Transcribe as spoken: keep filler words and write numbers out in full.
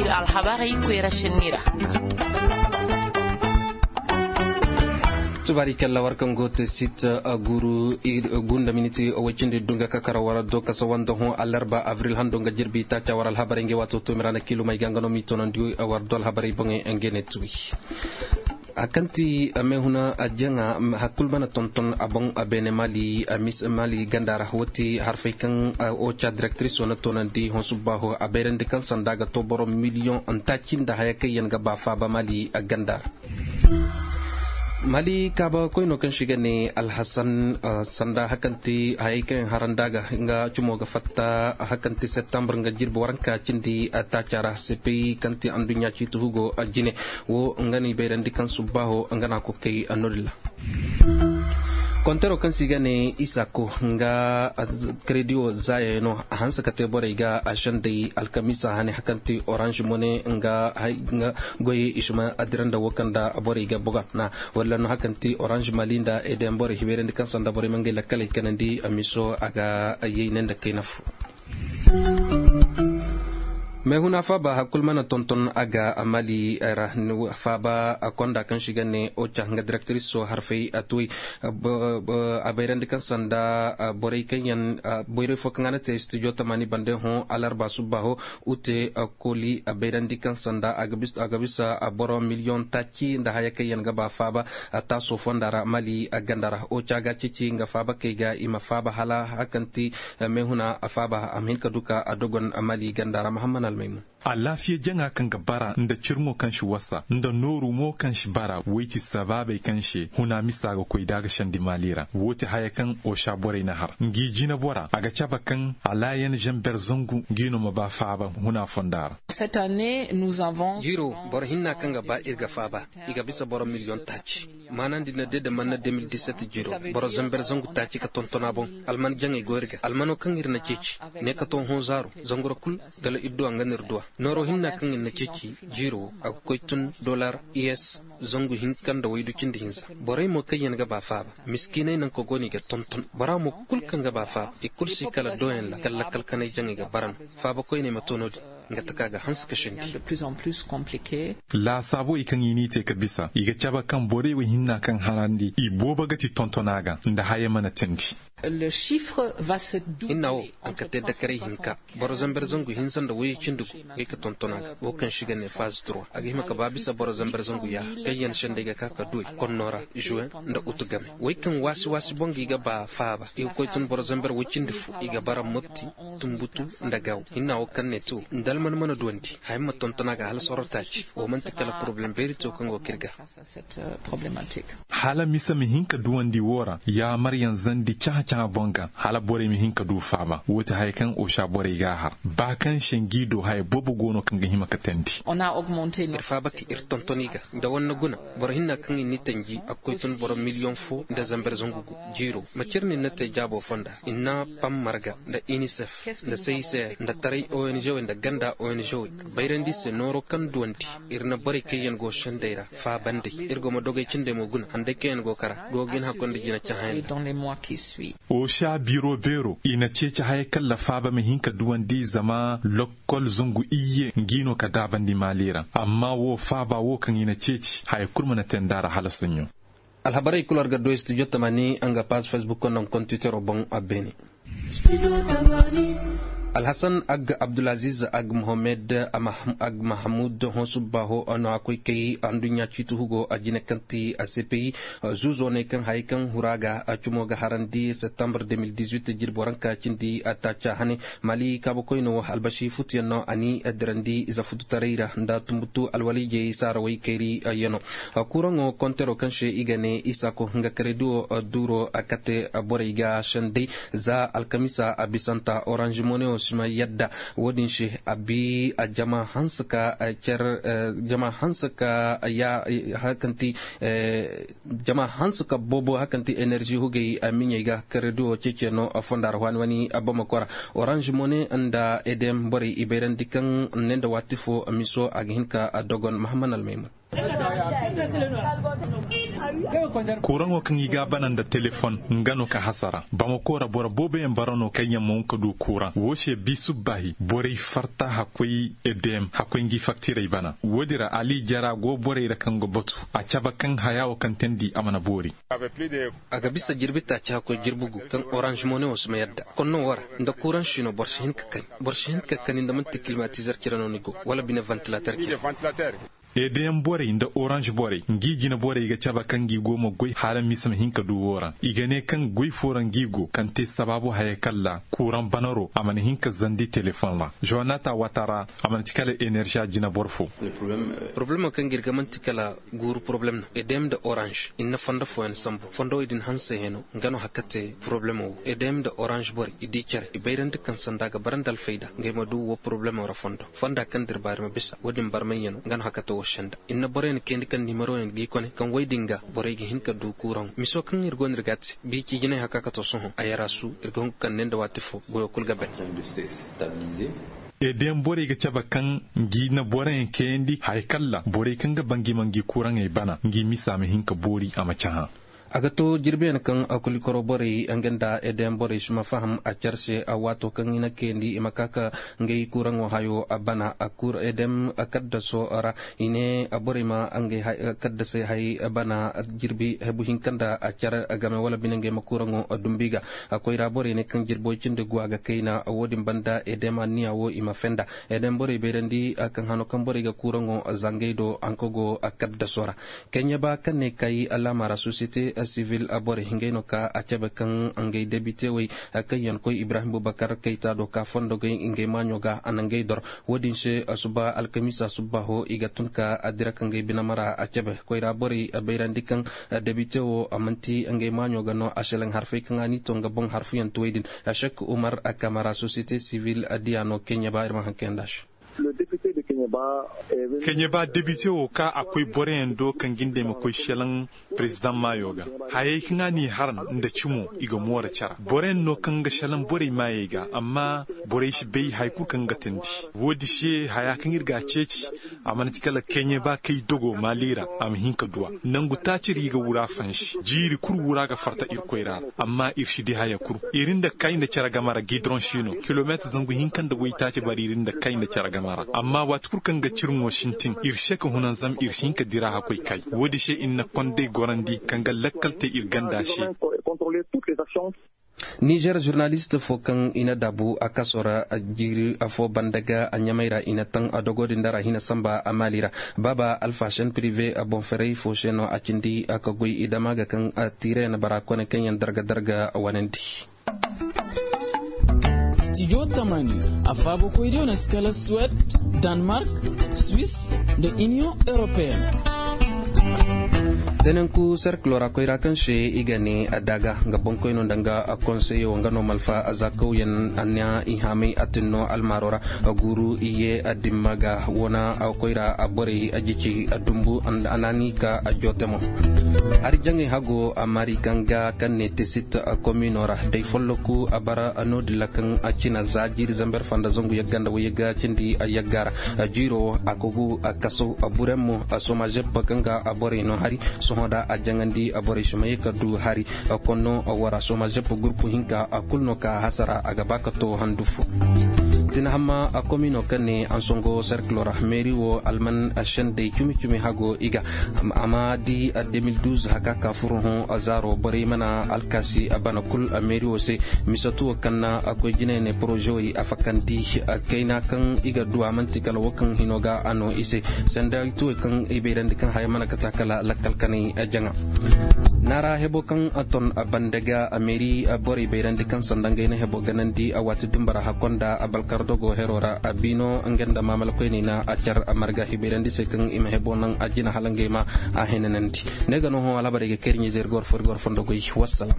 Alhabarey koyra sinni ra. Tubaari kalla war kaŋ go te sit guru gunda miniti waycindi dunga kakara war do kasa wanda hõ alarba abril hando nga jirbi taaca war alhabarey nga waato toomira na kiilumey ga nga no m'i toonandi war do alhabarey boŋey nga ne tuwi. Hakanti mehuna jaŋa hakul mana tonton a boŋ a beene mali ganda ra wati harfey kaŋ oca direktriso na toonandi hõ subba ho a bayrandi kaŋ sanda ga to boro miliyoŋ ntaaci nda haya kaŋ yaŋ ga ba faaba mali ganda ra. Mali kaaba koyno kaŋ si ga ne alhasan sanda hakanti hayey kaŋ haranda ga nga cumo ga fatta hakanti septembre nga jirbi waranka cindi taaca ra cpi kaŋ ti anduɲɲa ciiti hugo jine wo nga no i bayrandi kaŋ subbaho nga no a koy kay no-din ra. Kontaro kaŋ se i ga ne isako nga krediyo zaayey no a hanse ka te borey ga a sendey alkamiisa hane hakanti orange mone nga goyey i si ma adira nda wo kaŋ nda borey ga buga na wala no hakanti orange mali nda eden borey hibeerandi kaŋ sanda borey ma ngey lakkaley kanandi miso a ga yey ne nda kayna fo. Meehuna faaba hakul mana tonton a ga mali ra faaba konda kaŋ si ga ne oca nga direktriso harfey a tuway a bayrandi kaŋ sanda borey kaŋ yaŋ borey fo kaŋ a na te studio tamani bande hõ alarba subba ho ute koli a bayrandi kaŋ sanda a ga bisa boro miliyoŋ taaci nda haya kaŋ yaŋ ga ba faaba taaso fonda ra mali ganda ra oca ga ceeci nga faaba kay ga i ma faaba hala hakanti meehuna faaba a ma hin ka du ka a dogon mali ganda ra mahamman almaymun. Alaafiya jaŋa kaŋ ga bara nda cirŋo kaŋ si wasa nda nooru mo kaŋ si bara wayti sabaabey kaŋ se huna misa ga koy da a ga sandi maali ra wo ti haya kaŋ osa borey na har ngi jinabora a ga cabe kaŋ alaayan zamber zangu ngi no ma ba faaba huna fonda ra. Jiiro boro hinna kaŋ ga ba iri ga faaba i ga bisa boro miliyoŋ taaci maanandi na de da manna deux mille dix-sept jiiro boro zamber zangu taaci ka tonton a boŋ alman jaŋey go iri ga almano kaŋ iri na ceeci ne ka to hõ zaaro zangura kulu dala iri duwa nga no iri duwa nooro hinna kaŋ iri na ceeci jiiro a ga koy tun dollar is zangu hinka nda waydu cindi hinza borey mo kaŋ yaŋ ga ba faaba miskiiney nanka go no i ga tonton bora mo kulu kaŋ ga ba faaba i kulu si kala doyaŋ ra kala lakkal kanay jaŋey ga bara no faaba koyney ma to no-din nga taka ga hanse ka sindi. Laasaabey kaŋ i n'i te ka bisa i ga cabe kaŋ borey wo hinna kaŋ harandi i boobo ga ti tontona ga nda haya mana teendi. Hinna wo a ga te dakaray hinka boro zamber zangu hinza nda wayey cindi gu ngey ka tontona ga wo kaŋ si ga ne faazi turwa a ga hima ka ba bisa boro zamber zangu yaaha kaŋ yaŋ sendey ga ka ka duwey konno ra juwen nda utu game wey kaŋ waasi waasi boŋ ga i ga ba faaba i ga koy tun boro zamber way cindi fo i ga bara motti tumbutu nda gaaw hinna wo kaŋ ne to nda alman mana duwandi haya ma tonton a ga hala sorro taaci wo manti kala poroblem beeri to kaŋ go ka iri ga. Hala misa ma hin ka duwandi wo ra yaamaryaŋ zandi cahã-cahã boŋ ga hala borey ma hin ka du faaba wo ti haya kaŋ osa borey ga a har ba kaŋ se ngi do haya boobo go no kaŋ ga hima ka teendi. Iri faaba ka iri tonton i ga nda wanne guna boro hinna kaŋ i n'i tanji a ga koy tun boro miliyoŋ fo nda zamber zangu gu jiiro macir no i na te jaabo fonda i na pam marga nda inisef nda seyise nda taray ong wey nda ganda ong wey bayrandi se nooro kaŋ duwandi iri na borey kaŋ yaŋ go sendey ra faabandey iri go ma dogey cindey mo guna handay kaŋ yaŋ go kara go ga hin hakkoy nda jina cahãyaŋ. Osa biro beero i na ceeci haya kaŋ la faaba ma hin ka duwandi zama lokkol zangu iyye ngi no ka daabandi maali ra amma wo faaba wo kaŋ i na ceeci haya kulu mana te nd'a ra hala soɲõ. Alhabarey kulu war ga du studio tamani nga paazi facebook nda nga kontitero boŋ a beene. Alhasan ag abdulaziz ag mohammed ag mahamud hõ subba ho no a koy kay anduɲɲa ciiti hugo a jine kaŋ ti a cpi zuuzo ne kaŋ hayey kaŋ hura ga a cumo ga harandi septembre deux mille dix-huit jirbo ranka cindi a taaca hane mali kaabakoyno albasi futuyaŋ no a ni dirandi ize fututaray ra nda tumbutu alwaliijey saarawey kayri yaŋo. Kuraŋo kontero kaŋ se i ga ne isako nga karediyo duuro a kate borey ga sendey za alkamiisa a bisanta orange moneyo si ma yadda wo-din se a bi a jama hanse ka cer jama hanse ka ya hakanti jama hanse ka boobo hakanti enerzi hugey miɲey ga karediyo ceeciyaŋo fonda ra waani waani a bamako ra orange mone nda edem borey i bayrandi kaŋ ne nda waati fo miso a ga hin ka dogon mahamman almaymun. Kuuraŋo kaŋ i ga a bana nda telefon nga no ka hasara bamako ra boro boobo yaŋ bara no kaŋ yaŋ ma hun ka du kuuraŋ wo se bi subbaahi borey farta hakkoy edm hakkoy ngi faktirey bana wo- din ra ali jara go borey ra kaŋ ga batu a cabe kaŋ haya wo kaŋ teendi a mana boori. A ga bisa jirbi taaci hakkoy jirbi gu kaŋ orange mone wo si ma yadda konno wo ra nda kuuraŋ siino boro si hin ka kani nda manti kilimatizer cire no ni go wala bine vantilater cire. Eedayaŋ borey nda orange borey ngi jine borey ga cabe kaŋ ngi go ma goy hala misa ma hin ka du wo ra i ga ne kaŋ goy fo ra ngi go kaŋ te sabaabu haya kaŋ ra kuuraŋ banaro a mana hin ka zandi telefoŋ ra. Johanata waata ra a mana ci kala eneržiya jine boro fo. Poroblemo kaŋ ga iri ga manti kala guuru poroblem no eedayaŋ nda orange i na fondo fooyaŋ sambu fondo wo din hanse heno nga no hakka te poroblemo wo eedayaŋ nda orange borey i di care i bayrandi kaŋ sanda ga bara nda alfayda ngey ma du wo poroblemo ra fondo fonda kaŋ da iri baari ma bisa wo- din barmay yaŋ no nga no hakka te wo senda. Iri na boroyaŋ kayandi kaŋ nimero yaŋ ga i kone kaŋ way din ga borey ga hin ka du kuuraŋo miso kaŋ iri go no iri ga a te biici jinay haka ka to sohõ a yara su iri ga hun ga kande nda waati fo goyo kulu ga ban. Eedayaŋ borey ga cabe kaŋ ngi na boroyaŋ kayandi haya kaŋ ra borey kaŋ ga ba ngi ma ngi kuuraŋey bana ngi misa ma hin ka boori a ma cahã. A ga to jirbiyaŋ kaŋ a kulikoro borey nga nda eedayaŋ borey si ma faham a care se. Waato kaŋ i na kayandi i ma ka ka ngey kuuraŋo hayo bana a kuur eedayaŋ kaddaso ra i ne borey ma ngey kaddasey hay bana jirbi hebu hinka nda care game wala bine ngey ma kuuraŋo dumbu i ga. Koyra borey ne kaŋ jirbi way cindi gu a ga kayna wo- din banda eedayaŋ anniya wo i ma fenda eedayaŋ borey bayrandi kaŋ hano kaŋ borey ga kuuraŋo zangey do hanka go kaddaso ra. Keɲeba kaŋ ne kay laama ra sosiyete sivil borey ngey no ka a cabe kaŋ ngey debite wey kaŋ yaŋ koy ibrahim bubakar kayta do ka fondo gay ngey maaɲo ga a na ngey dor. Wo- din se suba alkamiisa subbaaho i ga tun ka dira ka ngey binama ra a cabe koyra borey bayrandi kaŋ debite wo manti ngey maaɲo ga no a selaŋ harfey kaŋ a n'i to nga boŋ harfuyaŋ tuwey din. Sek umar kamara sosiyete sivil diya no keɲeba iri ma haŋ kayanda se. Keɲeba debite wo ka a koy boroyaŋ do kaŋ jindey ma koy selaŋ perezidaŋ maayo ga. Hayey kaŋ a n'i haran nda cimo i ga moora cara boroyaŋ no kaŋ ga selaŋ borey maayey ga amma borey si bay hari kulu kaŋ ga teendi. Wo- din se haya kaŋ iri ga a ceeci a mana ti kala keɲeba kay dogo maali ra a ma hin ka du a nangu taaci ra i ga wura fansi jiiri kulu wura ga farta iri koyra ra. Amma iri si di haya kulu iri nda kay nda care game ra gidroŋ si no kilomeetir zangu hinka nda waytaaci bara iri nda kay nda care game ra amma waati kulu kaŋ ga ciri mo sintin iri se ka hunan zama iri si hin ka dira hakkoy kay. Wo- din se iri na kondey gorandi kaŋ ga lakkal te iri ganda se. Nizer zurnalist fo kaŋ i na daabu a kaso ra jiiri afo banda ga a ɲamay ra i na taŋ a dogo din da ra hina samba a maali ra. Baaba alfasen pirive a boŋ ferey fo se no a cindi a ka goy i dama ga kaŋ a tiire na bara kone kaŋ yaŋ darga darga wanandi. Studio tamani a faabo koy diyo na si kala suwed, danmark, swiss, nda inion europeen. Dananku serkilo ra koyra kaŋ se i ga ne a daga nga boŋkoyno nda nga konseyo nga no malfa zakawyaŋ a na i haamay a tinno almaaro ra. Guuru i ye a dimma ga wana koyra a borey a jici a dumbu a naani ka a joote mo. Hari jaŋay hago a mari kaŋ ga kaŋ ne tesit komino ra day folloku a bara no- din ra kaŋ a cina za jiiri zamber fanda zangu yagga nda wayagga cindi a yagga ra. Jiiro a kogu a kaso a burem mo a soma zeb kaŋ ga a borey no hari sohõ da a jaŋandi a borey si ma ye ka du hari. Konno wara soma zeb gurpu hinka a kulu no ka hasara a ga ba ka to handu fo. Tinahamma a komino kaŋ ne ansongo serkilo ra meeri wo alman sendey cumi cumi hago i ga a ma di a deux mille douze haka ka furo hõ a zaaro borey mana alkaasi a bana kulu a meeri wo se. Misatu wo kaŋ na a koy jinay ne porozewey a fakandi kayna kaŋ i ga du a manti kala wo kaŋ hino ga a no i se. Sanda tuwey kaŋ i bayrandi kaŋ haya mana kata kala lakkal kanay jaŋa. Naara hebo kaŋ a ton a banda ga a meeri borey bayrandi kaŋ sanda ngey na hebo ganandi a waati dumbara hakkonda a balkar dogo hero ra a biino nga nda maamala koyney na a car a marga hibayrandi se kaŋ i ma hebo naŋ a jina hala ngey ma a henanandi. Ne ga no hõ alhabarey ga kayri ɲizer gor fori gor fondo goy. Wassalam.